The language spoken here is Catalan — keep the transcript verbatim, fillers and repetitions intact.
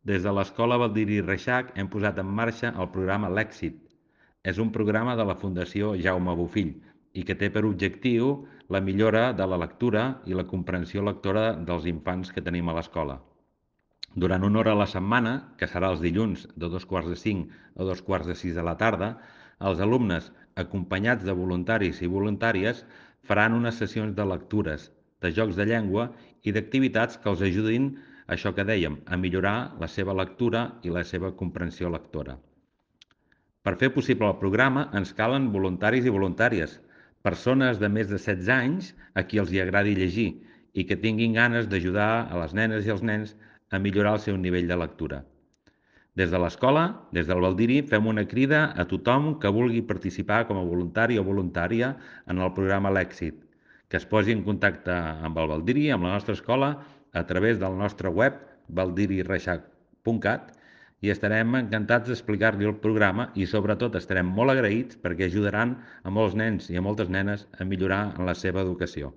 Des de l'Escola Baldiri Reixac hem posat en marxa el programa L'Èxit. És un programa de la Fundació Jaume Bofill i que té per objectiu la millora de la lectura i la comprensió lectora dels infants que tenim a l'escola. Durant una hora a la setmana, que serà els dilluns de dos quarts de cinc a dos quarts de sis de la tarda, els alumnes, acompanyats de voluntaris i voluntàries, faran unes sessions de lectures, de jocs de llengua i d'activitats que els ajudin, això que dèiem, a millorar la seva lectura i la seva comprensió lectora. Per fer possible el programa ens calen voluntaris i voluntàries, persones de més de setze anys a qui els hi agradi llegir i que tinguin ganes d'ajudar a les nenes i els nens a millorar el seu nivell de lectura. Des de l'escola, des del Baldiri, fem una crida a tothom que vulgui participar com a voluntari o voluntària en el programa L'Èxit, que es posi en contacte amb el Baldiri, amb la nostra escola, a través del nostre web, baldiri reixac punt cat, i estarem encantats d'explicar-li el programa i sobretot estarem molt agraïts perquè ajudaran a molts nens i a moltes nenes a millorar en la seva educació.